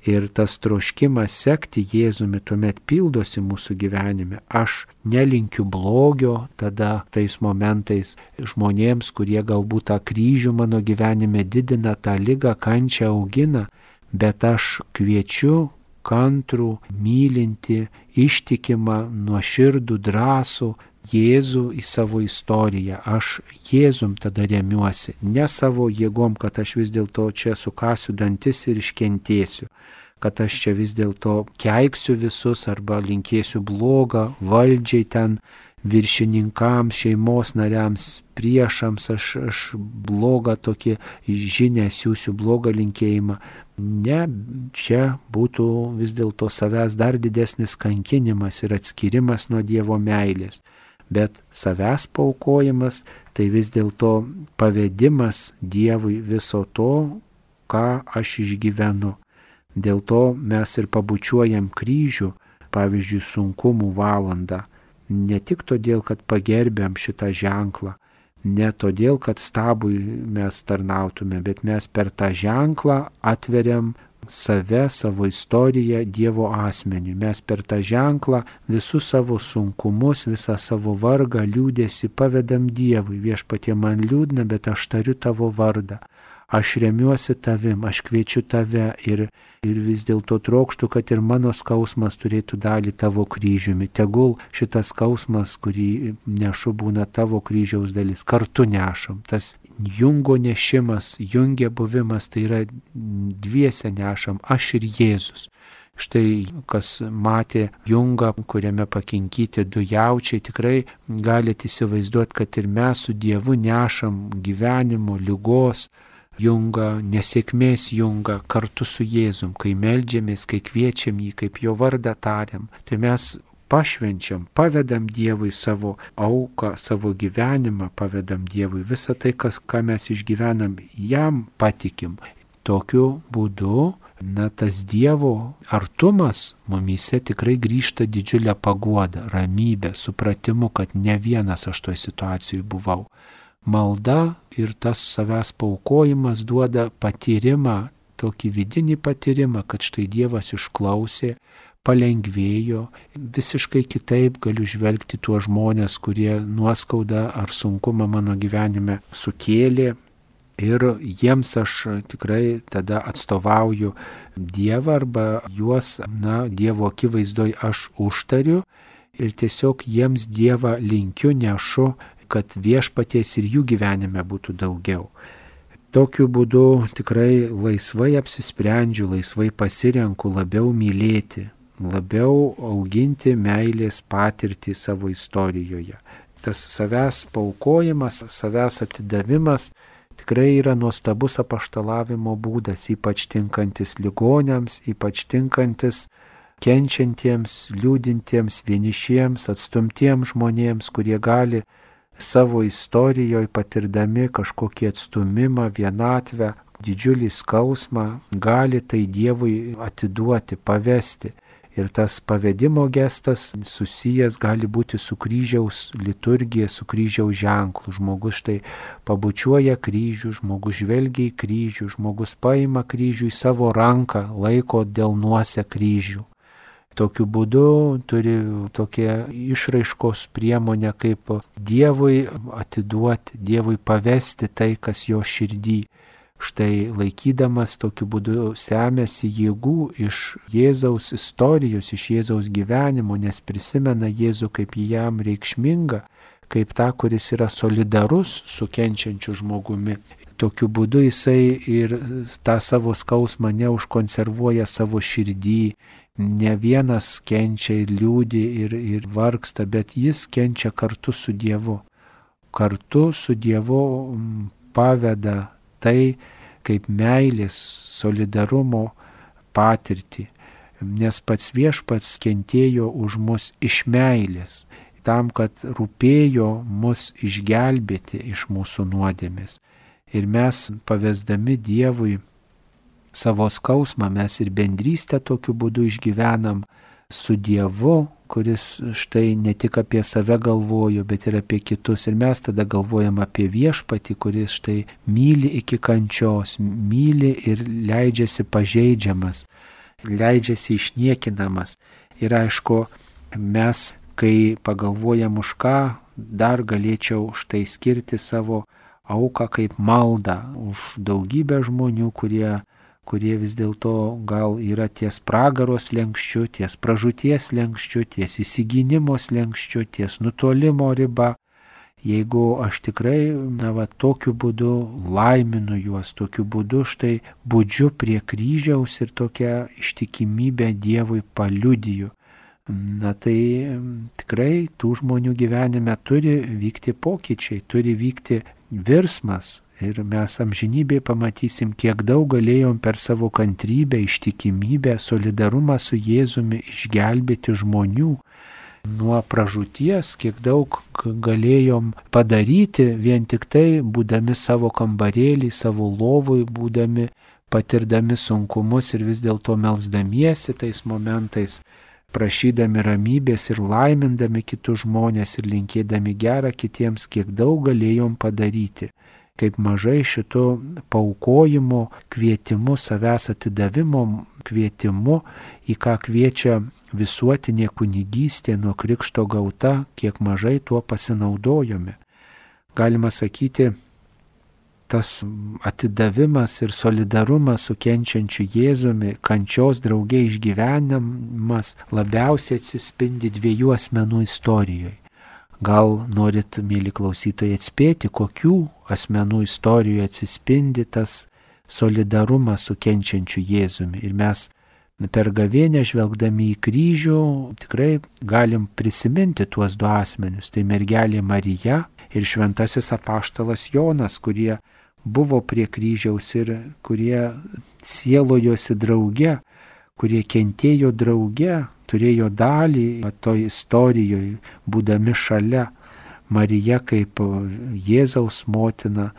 Speaker 1: Ir tas troškimas sekti Jėzumi tuomet pildosi mūsų gyvenime. Aš nelinkiu blogio tada tais momentais žmonėms, kurie galbūt tą kryžių mano gyvenime didina, tą ligą, kančią augina, bet aš kviečiu kantrų, mylinti, ištikimą, nuoširdų, drąsų Jėzų į savo istoriją. Aš Jėzum tada remiuosi, ne savo jėgom, kad aš vis dėlto čia sukasiu dantis ir iškentėsiu, kad aš čia vis dėlto keiksiu visus arba linkėsiu blogą valdžiai ten, viršininkams, šeimos nariams, priešams, aš, aš blogą tokį žinę siūsiu, blogą linkėjimą. Ne, čia būtų vis dėlto savęs dar didesnis kankinimas ir atskirimas nuo Dievo meilės. Bet savęs paaukojimas tai vis dėlto pavedimas Dievui viso to, ką aš išgyvenu. Dėl to mes ir pabučiuojam kryžių, pavyzdžiui, sunkumų valandą. Ne tik todėl, kad pagerbiam šitą ženklą, ne todėl, kad stabui mes tarnautume, bet mes per tą ženklą atveriam save, savo istoriją Dievo asmeniui. Mes per tą ženklą visus savo sunkumus, visą savo vargą, liūdėsi pavedam Dievui. Viešpatie, man liūdna, bet aš tariu tavo vardą. Aš remiuosi tavim, aš kviečiu tave ir, ir vis dėlto trokštu, kad ir mano skausmas turėtų dalį tavo kryžiumi. Tegul šitas skausmas, kurį nešu, būna tavo kryžiaus dalis. Kartu nešam. Tas jungo nešimas, jungė buvimas, tai yra dviese nešam, aš ir Jėzus. Štai kas matė jungą, kuriame pakinkyti du jaučiai, tikrai galite įsivaizduoti, kad ir mes su Dievu nešam gyvenimo, ligos jungą, nesėkmės jungą kartu su Jėzum, kai meldžiamės, kai kviečiam jį, kaip jo vardą tariam. Tai mes pašvenčiam, pavedam Dievui savo auką, savo gyvenimą, pavedam Dievui visą tai, kas, ką mes išgyvenam, jam patikim. Tokiu būdu, na, tas Dievo artumas mumyse tikrai grįžta didžiulę paguodą, ramybę, supratimu, kad ne vienas aš toj situacijai buvau. Malda ir tas savęs paaukojimas duoda patyrimą, tokį vidinį patyrimą, kad štai Dievas išklausė, palengvėjo, visiškai kitaip galiu žvelgti tuos žmonės, kurie nuoskaudą ar sunkumą mano gyvenime sukėlė. Ir jiems aš tikrai tada atstovauju Dievą arba juos, na, Dievo akivaizdoj aš užtariu ir tiesiog jiems Dievą linkiu, nešu, kad viešpaties ir jų gyvenime būtų daugiau. Tokiu būdu tikrai laisvai apsisprendžiu, laisvai pasirenku labiau mylėti, labiau auginti meilės patirtį savo istorijoje. Tas savęs paaukojimas, savęs atidavimas tikrai yra nuostabus apaštalavimo būdas, ypač tinkantis ligoniams, ypač tinkantis kenčiantiems, liūdintiems, vienišiems, atstumtiems žmonėms, kurie gali savo istorijoje patirdami kažkokį atstumimą, vienatvę, didžiulį skausmą, gali tai Dievui atiduoti, pavesti. Ir tas pavedimo gestas susijęs gali būti su kryžiaus liturgija, su kryžiaus ženklu. Žmogus štai pabučiuoja kryžių, žmogus žvelgia į kryžių, žmogus paima kryžių į savo ranką, laiko delnuose kryžių. Tokiu būdu turi tokia išraiškos priemonė, kaip Dievui atiduoti, Dievui pavesti tai, kas jo širdį, štai laikydamas tokiu būdu semiasi jėgų iš Jėzaus istorijos, iš Jėzaus gyvenimo, nes prisimena Jėzų kaip jam reikšmingą, kaip tą, kuris yra solidarus su kenčiančiu žmogumi. Tokiu būdu jisai ir tą savo skausmą neužkonservuoja savo širdį, ne vienas kenčia ir liūdi ir, ir vargsta, bet jis kenčia kartu su Dievu. Kartu su Dievu paveda tai kaip meilės, solidarumo patirtį, nes pats Viešpats kentėjo už mus iš meilės, tam, kad rūpėjo mus išgelbėti iš mūsų nuodėmės. Ir mes, pavesdami Dievui savo skausmą, mes ir bendrystę tokiu būdu išgyvenam su Dievu, kuris štai ne tik apie save galvojo, bet ir apie kitus. Ir mes tada galvojam apie Viešpatį, kuris štai myli iki kančios, myli ir leidžiasi pažeidžiamas, leidžiasi išniekinamas. Ir aišku, mes, kai pagalvojam už ką, dar galėčiau štai skirti savo auką kaip maldą už daugybę žmonių, kurie kurie vis dėlto gal yra ties pragaro slenksčiu, ties pražūties slenksčiu, ties įsigynimo slenksčiu, ties nutolimo riba. Jeigu aš tikrai, na, va, tokiu būdu laiminu juos, tokiu būdu štai budžiu prie kryžiaus ir tokią ištikimybę Dievui paliudiju, na tai tikrai tų žmonių gyvenime turi vykti pokyčiai, turi vykti virsmas. Ir mes amžinybėje pamatysim, kiek daug galėjom per savo kantrybę, ištikimybę, solidarumą su Jėzumi išgelbėti žmonių nuo pražūties, kiek daug galėjom padaryti vien tik tai, būdami savo kambarėlį, savo lovui, būdami patirdami sunkumus ir vis dėlto melsdamiesi tais momentais, prašydami ramybės ir laimindami kitus žmonės ir linkėdami gerą kitiems, kiek daug galėjom padaryti. Kaip mažai šito paaukojimo kvietimu, savęs atidavimo kvietimu, į ką kviečia visuotinė kunigystė nuo krikšto gauta, kiek mažai tuo pasinaudojome. Galima sakyti, tas atidavimas ir solidarumas su kenčiančiu Jėzumi, kančios drauge išgyvenimas labiausiai atsispindi dviejų asmenų istorijoje. Gal norit, mėly klausytojai, atspėti, kokių asmenų istorijoje atsispindi tas solidarumas su kenčiančiu Jėzumi. Ir mes per gavėnią žvelgdami į kryžių tikrai galim prisiminti tuos du asmenius. Tai mergelė Marija ir šventasis apaštalas Jonas, kurie buvo prie kryžiaus ir kurie sielojosi drauge, kurie kentėjo drauge, turėjo dalį toj istorijoje, būdami šalia. Marija kaip Jėzaus motina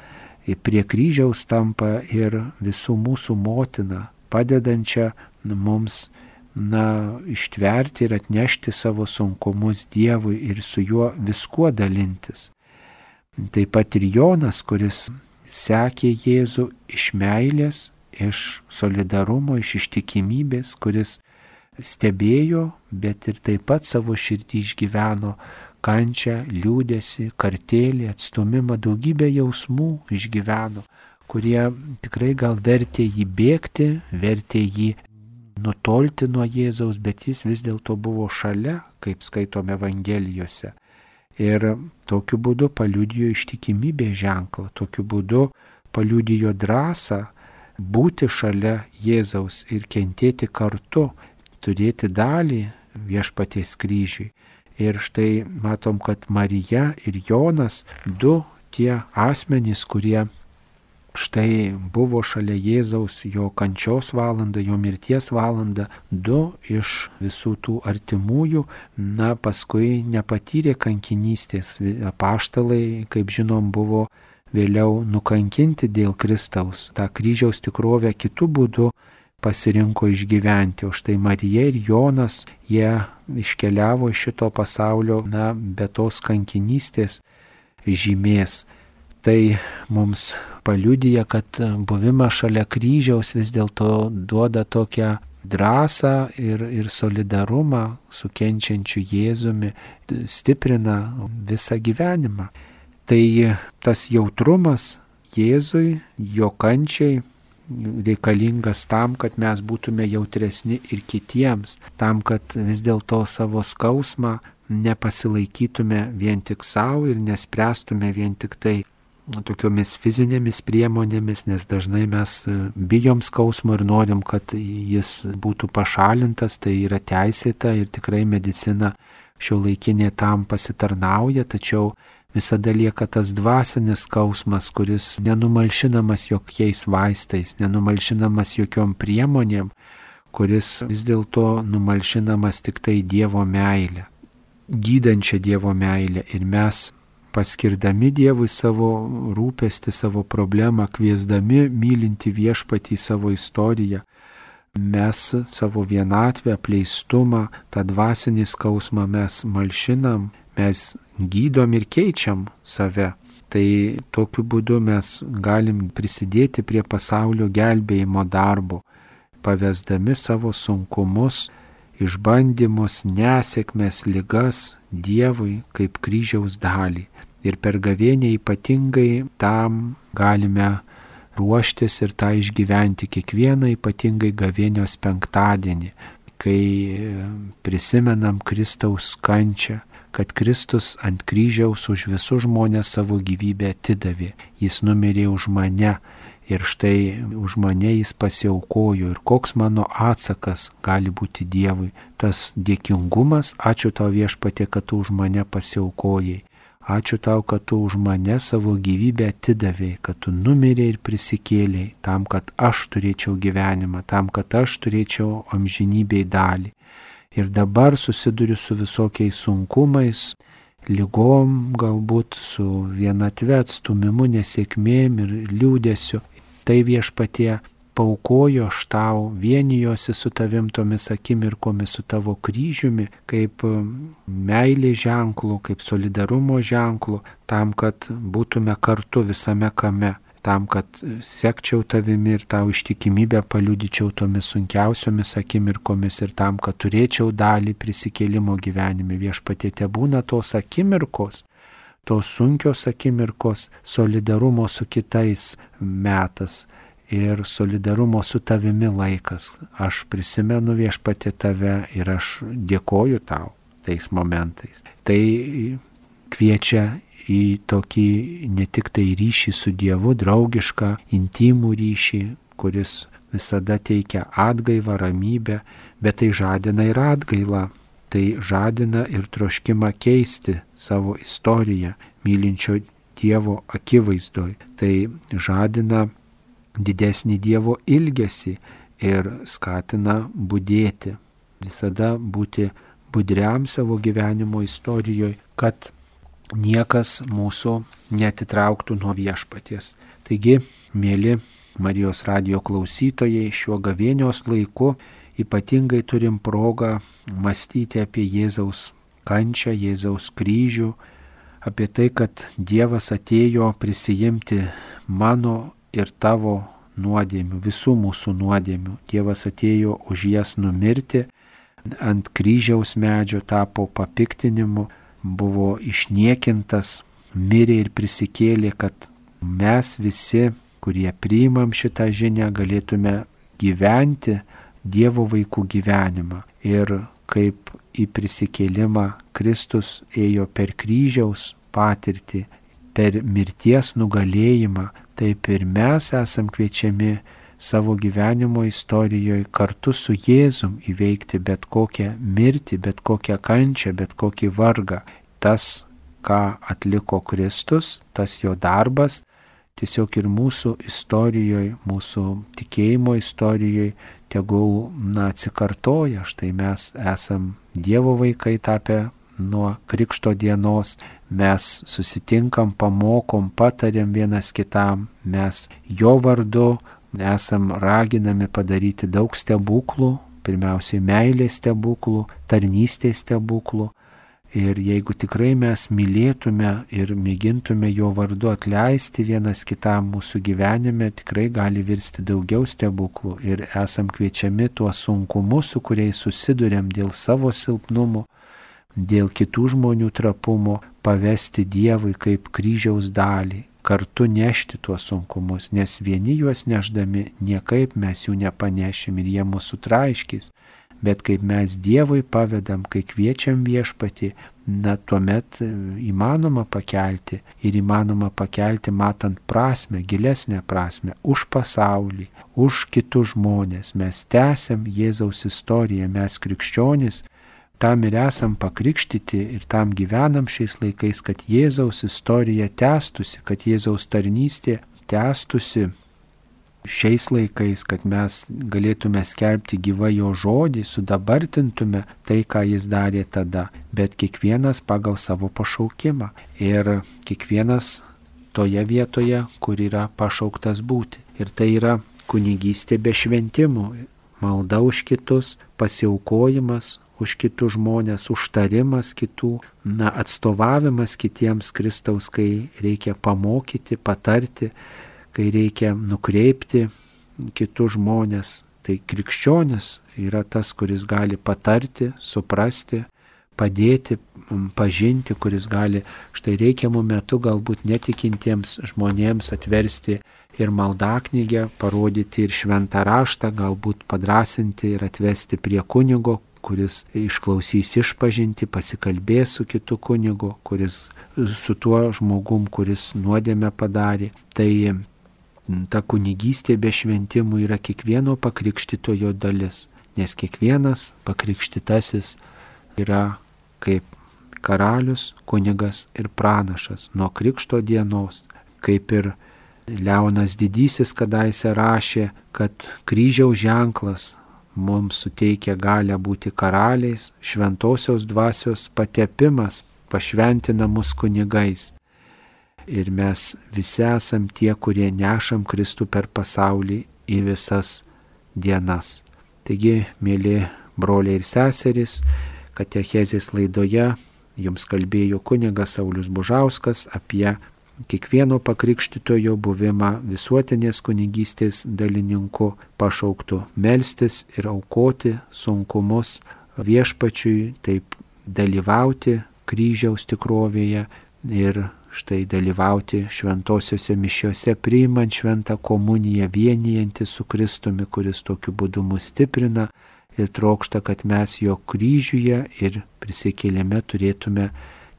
Speaker 1: prie kryžiaus tampa ir visų mūsų motina, padedančia mums, na, ištverti ir atnešti savo sunkumus Dievui ir su juo viskuo dalintis. Taip pat ir Jonas, kuris sekė Jėzų iš meilės, iš solidarumo, iš ištikimybės, kuris stebėjo, bet ir taip pat savo širdį išgyveno kančią, liūdesį, kartėlį, atstumimą, daugybę jausmų išgyveno, kurie tikrai gal vertė jį bėgti, vertė jį nutolti nuo Jėzaus, bet jis vis dėlto buvo šalia, kaip skaitome Evangelijose. Ir tokiu būdu paliudijo ištikimybės ženklą, tokiu būdu paliudijo drąsą būti šalia Jėzaus ir kentėti kartu, turėti dalį Viešpaties kryžiui. Ir štai matom, kad Marija ir Jonas, du tie asmenys, kurie štai buvo šalia Jėzaus jo kančios valandą, jo mirties valandą, du iš visų tų artimųjų, na, paskui nepatyrė kankinystės. Apaštalai, kaip žinom, buvo vėliau nukankinti dėl Kristaus. Ta kryžiaus tikrovę kitų būdų pasirinko išgyventi. O štai Marija ir Jonas, jie iškeliavo iš šito pasaulio, na, be tos kankinystės žymės. Tai mums paliudija, kad buvimas šalia kryžiaus vis dėlto duoda tokią drąsą ir, ir solidarumą su kenčiančiu Jėzumi, stiprina visą gyvenimą. Tai tas jautrumas Jėzui, jo kančiai reikalingas tam, kad mes būtume jautresni ir kitiems, tam, kad vis dėlto savo skausmą nepasilaikytume vien tik savo ir nespręstume vien tik tai tokiomis fizinėmis priemonėmis, nes dažnai mes bijom skausmo ir norim, kad jis būtų pašalintas, tai yra teisėta ir tikrai medicina šiuolaikinė tam pasitarnauja, tačiau visada lieka tas dvasinis skausmas, kuris nenumalšinamas jokiais vaistais, nenumalšinamas jokiom priemonėm, kuris vis dėlto numalšinamas tik tai Dievo meilė, gydančia Dievo meilė. Ir mes paskirdami Dievui savo rūpestį, savo problemą, kviesdami mylinti Viešpatį savo istoriją, mes savo vienatvę, apleistumą, tą dvasinį skausmą mes malšinam, mes gydom ir keičiam save. Tai tokiu būdu mes galim prisidėti prie pasaulio gelbėjimo darbo, pavesdami savo sunkumus, išbandymus, nesėkmes, ligas Dievui kaip kryžiaus dalį. Ir per gavėnią ypatingai tam galime ruoštis ir tą išgyventi kiekvieną ypatingai gavėnios penktadienį, kai prisimenam Kristaus kančią, kad Kristus ant kryžiaus už visus žmonės savo gyvybę atidavė. Jis numirė už mane ir štai už mane jis pasiaukojo. Ir koks mano atsakas gali būti Dievui? Tas dėkingumas, ačiū tau Viešpatie, kad tu už mane pasiaukojai. Ačiū tau, kad tu už mane savo gyvybę atidavėjai, kad tu numirėjai ir prisikėlėjai tam, kad aš turėčiau gyvenimą, tam, kad aš turėčiau amžinybėj dalį. Ir dabar susiduriu su visokiais sunkumais, ligom, galbūt su vienatve, atstumimu, nesėkmėm ir liūdėsiu. Tai Viešpatie paukojo aš tau, vienijosi su tavim tomis akimirkomis, su tavo kryžiumi, kaip meilės ženklu, kaip solidarumo ženklu, tam, kad būtume kartu visame kame, tam, kad sekčiau tavimi ir tau ištikimybę paliudyčiau tomis sunkiausiomis akimirkomis ir tam, kad turėčiau dalį prisikėlimo gyvenime. Viešpatie, tebūna tos akimirkos, tos sunkios akimirkos, solidarumo su kitais metas ir solidarumo su tavimi laikas. Aš prisimenu Viešpatie tave ir aš dėkoju tau tais momentais. Tai kviečia į tokį ne tik tai ryšį su Dievu, draugišką, intimų ryšį, kuris visada teikia atgaivą, ramybę, bet tai žadina ir atgailą. Tai žadina ir troškimą keisti savo istoriją mylinčio Dievo akivaizdoj. Tai žadina didesnį Dievo ilgesį ir skatina budėti, visada būti budriam savo gyvenimo istorijoje, kad niekas mūsų neatitrauktų nuo Viešpaties. Taigi, mėly Marijos radijo klausytojai, šiuo gavėnios laiku ypatingai turim progą mąstyti apie Jėzaus kančią, Jėzaus kryžių, apie tai, kad Dievas atėjo prisijimti mano ir tavo nuodėmių, visų mūsų nuodėmių. Dievas atėjo už jas numirti, ant kryžiaus medžio tapo papiktinimu, buvo išniekintas, mirė ir prisikėlė, kad mes visi, kurie priimam šitą žinią, galėtume gyventi Dievo vaikų gyvenimą. Ir kaip į prisikėlimą Kristus ėjo per kryžiaus patirtį, per mirties nugalėjimą, taip ir mes esam kviečiami savo gyvenimo istorijoje kartu su Jėzum įveikti bet kokią mirtį, bet kokią kančią, bet kokį vargą. Tas, ką atliko Kristus, tas jo darbas, tiesiog ir mūsų istorijoje, mūsų tikėjimo istorijoje tegul na, atsikartoja. Štai mes esam Dievo vaikai tapę nuo Krikšto dienos, mes susitinkam, pamokom, patariam vienas kitam, mes jo vardu esam raginami padaryti daug stebuklų, pirmiausiai meilės stebuklų, tarnystės stebuklų. Ir jeigu tikrai mes mylėtume ir mėgintume jo vardu atleisti vienas kitam mūsų gyvenime, tikrai gali virsti daugiau stebuklų. Ir esam kviečiami tuos sunkumus, su kuriais susiduriam dėl savo silpnumų, dėl kitų žmonių trapumo, pavesti Dievui kaip kryžiaus dalį, kartu nešti tuos sunkumus, nes vieni juos neždami niekaip mes jų nepanešim ir jie mūsų traiškis, bet kaip mes Dievui pavedam, kai kviečiam Viešpatį, na tuomet įmanoma pakelti ir įmanoma pakelti matant prasme, gilesnę prasme, už pasaulį, už kitus žmonės. Mes tęsiam Jėzaus istoriją, mes krikščionys, tam ir esam pakrikštyti ir tam gyvenam šiais laikais, kad Jėzaus istorija tęstusi, kad Jėzaus tarnystė tęstusi šiais laikais, kad mes galėtume skelbti gyvą jo žodį, sudabartintume tai, ką jis darė tada, bet kiekvienas pagal savo pašaukimą ir kiekvienas toje vietoje, kur yra pašauktas būti. Ir tai yra kunigystė be šventimų, malda už kitus, pasiaukojimas už kitus žmonės, užtarimas kitų, na, atstovavimas kitiems Kristaus, kai reikia pamokyti, patarti, kai reikia nukreipti kitus žmonės. Tai krikščionis yra tas, kuris gali patarti, suprasti, padėti, pažinti, kuris gali štai reikiamų metų galbūt netikintiems žmonėms atversti ir maldaknygę, parodyti ir šventą raštą, galbūt padrasinti ir atvesti prie kunigo, kuris išklausys išpažinti, pasikalbės su kitu kunigu, kuris su tuo žmogum, kuris nuodėmę padarė. Tai ta kunigystė be šventimų yra kiekvieno pakrikštytojo dalis, nes kiekvienas pakrikštytasis yra kaip karalius, kunigas ir pranašas nuo krikšto dienos, kaip ir Leonas Didysis kadaise rašė, kad kryžiaus ženklas mums suteikia galę būti karaliais, šventosios dvasios patepimas pašventina mus kunigais. Ir mes visi esam tie, kurie nešam Kristų per pasaulį į visas dienas. Taigi, mėly broliai ir seserys, katechezės laidoje jums kalbėjo kunigas Saulius Bužauskas apie kiekvieno pakrikštytojo buvimą visuotinės kunigystės dalininku, pašauktų melstis ir aukoti sunkumus Viešpačiui, taip dalyvauti kryžiaus tikrovėje ir štai dalyvauti šventosiuose mišiuose, priimant šventą komuniją, vienijantis su Kristumi, kuris tokiu būdu mus stiprina ir trokšta, kad mes jo kryžiuje ir prisikėlime turėtume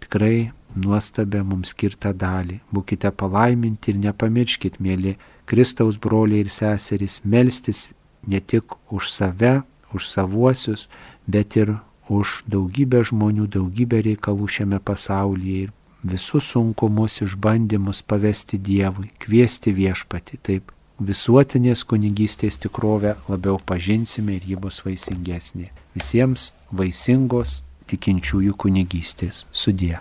Speaker 1: tikrai nuostabę mums skirtą dalį. Būkite palaiminti ir nepamirškit, mėly Kristaus broliai ir seserys, melstis ne tik už save, už savuosius, bet ir už daugybę žmonių, daugybę reikalų šiame pasaulyje ir visus sunkumus, išbandymus pavesti Dievui, kviesti Viešpatį. Taip visuotinės kunigystės tikrovę labiau pažinsime ir ji bus vaisingesnė. Visiems vaisingos tikinčiųjų kunigystės. Sudie.